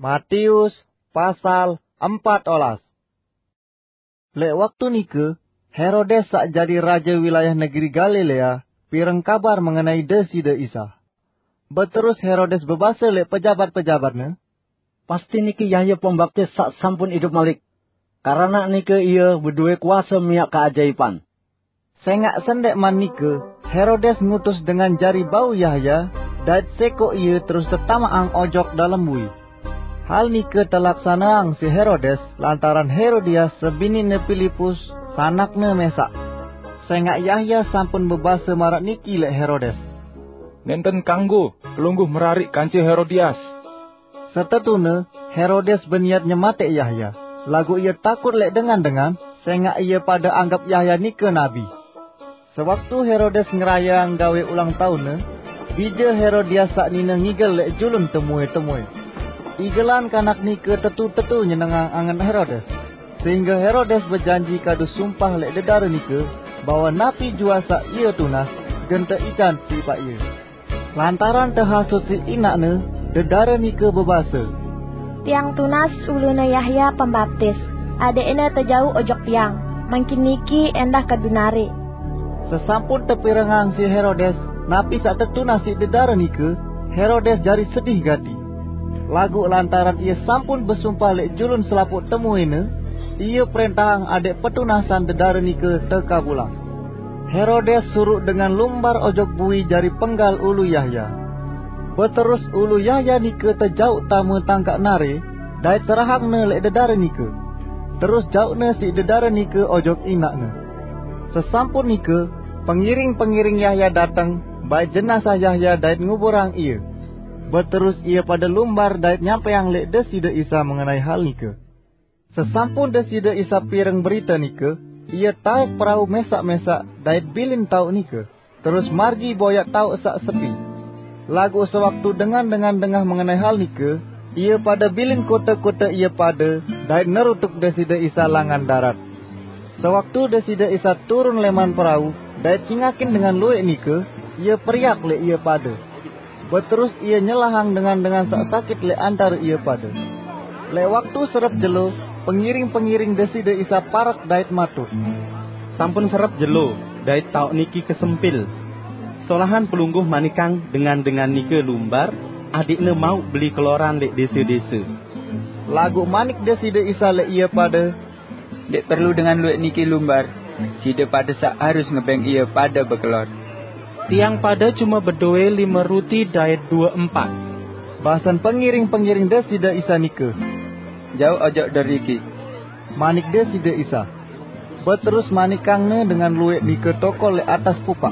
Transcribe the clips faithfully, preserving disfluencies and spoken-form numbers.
Matius pasal empat olas. Lek waktu nike, Herodes sak jadi raja wilayah negeri Galilea pireng kabar mengenai Deside Isa. Beterus Herodes bebase lek pejabat-pejabatne, "Pasti niki Yahya Pembaptis sak sampun idup malik. Karena nike ia bedue kuasa miak keajaiban." Sengak sendek man nike, Herodes ngutus dengan jari bau Yahya, dait seko ia terus tetamaang ojok dalem bui. Hal nike telaksanaang si Herodes lantaran Herodias sebinine Filipus, sanakne mesak. Sengak Yahya sampun bebase maraq niki lek Herodes, "Nenten kanggo Pelungguh merarik kance Herodias." Setetune, Herodes beniat nyematek Yahya, laguq ie takut lek dengan-dengan, sengak ie pade anggep Yahya nike nabi. Sewaktu Herodes ngerayeang gawe ulang taunne, bije Herodias saq nine ngigel lek julun temue-temue. Igelan kanak nike tetu-tetu nyenengang angen Herodes, sehingge Herodes bejanji kadu sumpah lek dedare nike, bahwe napi juaq saq ie tunas, gen teican tipaq ie. Lantaran tehasut siq inaqne, dedare nike bebase, "Tiang tunas ulune Yahya Pembaptis, adeqne tejauq ojok tiang, mangkin niki endah kadu narik." Sesampun tepirengang siq Herodes napi saq tetunas siq dedare nike, Herodes jari sedih gati. Laguq lantaran ie sampun besumpah lek julun selapuq temuene, ie prentahang adeq petunasan dedare nike tekabulang. Herodes suruq dengan lumbar ojok bui jari penggal ulu Yahya. Beterus ulu Yahya nike tejauq tame tangkaq nare, dait serahangne lek dedare nike. Terus jauqne siq dedare nike ojok inaqne. Sesampun nike, pengiring-pengiring Yahya dateng, bait jenazah Yahya dait nguburang ie. Beterus ie pade lumbar dait nyampeang lek Deside Isa mengenai hal nike. Sesampun Deside Isa pireng berite nike, ie taek perau mesaq-mesaq dait bilin taoq nike, terus margi boyaq taoq saq sepi. Laguq sewaktu dengan-dengan dengah mengenai hal nike, ie pade bilin kote-kote ie pade dait nerutuk Deside Isa langan darat. Sewaktu Deside Isa turun leman perau dait cingakin dengan lueq nike, ie periak lek ie pade. Beterus ie nyelahang dengan-dengan saq sakit lek antare ie pade. Lek waktu serep jelo, pengiring-pengiring Deside Isa parek dait matur, "Sampun serep jelo, dait taoq niki kesempil. Solahan Pelungguh manikang dengan-dengan nike lumbar, adeqne mauq beli keloran lek dese-dese." Laguq manik Deside Isa lek ie pade, "Ndeq perlu dengan lueq niki lumbar, side pade saq harus ngebeng ie pade bekelor." "Tiang pade cume bedoe lime ruti dait due empat," basen pengiring-pengiring Deside Isa nike. "Jauq ojok deriki," manik Deside Isa. Beterus manikangne dengan lueq nike tokol lek atas pupaq.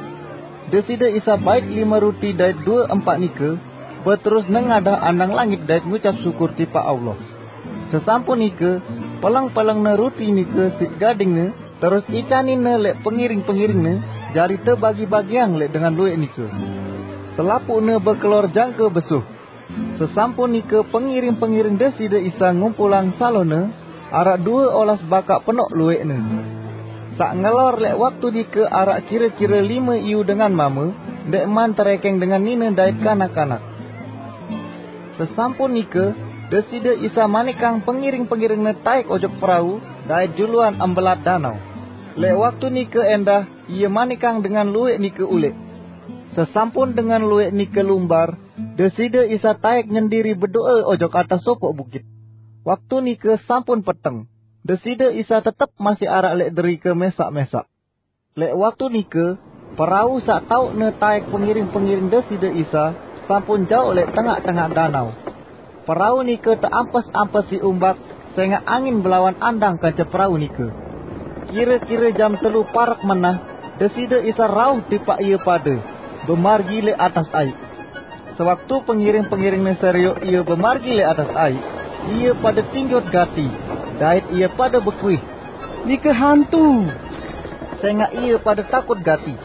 Deside Isa bait lime ruti dait due empaq nike, beterus nengadah andang langit dait ngucap syukur tipaq Allah. Sesampun nike, peleng-pelengne ruti nike siq gadingne, terus icaninne lek pengiring-pengiringne, jari tebagi-bagiang lek dengan lueq nike. Selapuqne bekelor jangke besuh. Sesampun nike, pengiring-pengiring Deside Isa ngumpulang salone, araq due olas bakaq penoq lueqne. Saq ngelor lek waktu nike araq kire-kire lime iyu dengan mame, ndeqman terekeng dengan nine dait kanak-kanak. Sesampun nike, Deside Isa manikang pengiring-pengiringne taek ojok perau dait juluan embelat danau. Lek waktu nike endah, ie manikang dengan lueq nike uleq. Sesampun dengan lueq nike lumbar, Deside Isa taek nyendiri bedoe ojok atas sopoq bukit. Waktu nike sampun peteng. Deside Isa tetep masih araq lek derike mesaq-mesaq. Lek waktu nike, perau saq taoqne taek pengiring-pengiring Deside Isa sampun jauq lek tengaq-tengaq danau. Perau nike teampes-ampes siq umbak, sengaq angin belawan andang kance perau nike. Kire-kire jam telu parek menah, Deside Isa rauh tipaq ie pade, bemargi lek atas aiq. Sewaktu pengiring-pengiringne serioq ie bemargi lek atas aiq, ie pade tinjot gati, dait ie pade bekuih, "Nike hantu!" Sengaq ie pade takut gati.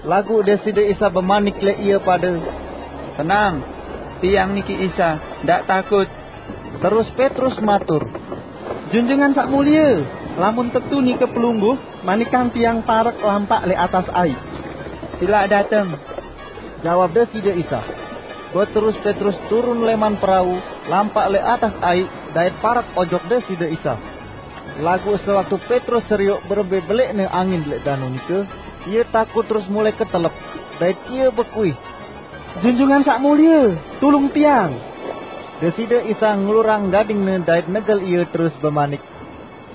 Laguq Deside Isa bemanik lek ie pade, "Tenang! Tiang niki Isa, ndaq takut!" Terus Petrus matur, "Junjungan Saq Mulie, lamun tetu nike Pelungguh, manikang tiang parek lampaq lek atas aiq." "Silaq dateng," jawab Deside Isa. Beterus Petrus turun leman perau, lampaq leq atas aiq dait parek ojok Deside Isa. Laguq sewaktu Petrus serioq berembe beleqne angin leq danu nike, ie takut terus mulai ketelep, dait ie bekuih, "Junjungan Saq Mulie, tulung tiang!" Deside Isa ngelurang gading-Ne dait negel ie terus bemanik,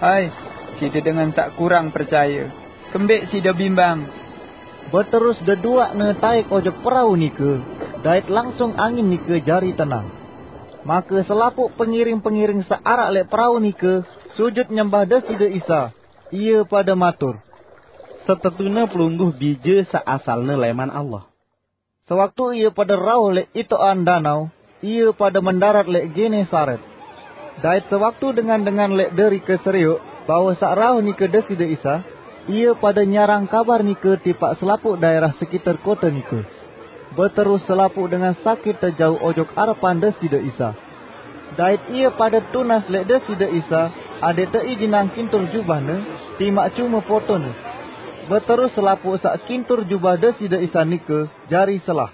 "Hai, side dengan saq kurang percaye! Kembeq side bimbang?" Beterus deduaqne taek ojok perau nike, dait langsung angin nike jari tenang. Make selapuq pengiring-pengiring saq araq leq perau nike sujut nyembah Deside Isa. Ie pade matur, "Setetune Pelungguh Bije saq asalne leman Allah." Sewaktu ie pade rauh leq itoqan danau, ie pade mendarat leq Genesaret. Dait sewaktu dengan-dengan leq derike serioq bahwe saq rauh nike Deside Isa, ie pade nyarang kabar nike tipaq selapuq daerah sekiter kote nike. Beterus selapuq dengan sakit tejauq ojok arepan Deside Isa. Dait ie pade tunas leq Deside Isa adeq teijinang kintur jubah-Ne, timaq cume potone. Beterus selapuq saq kintur jubah Deside Isa nike jari selah.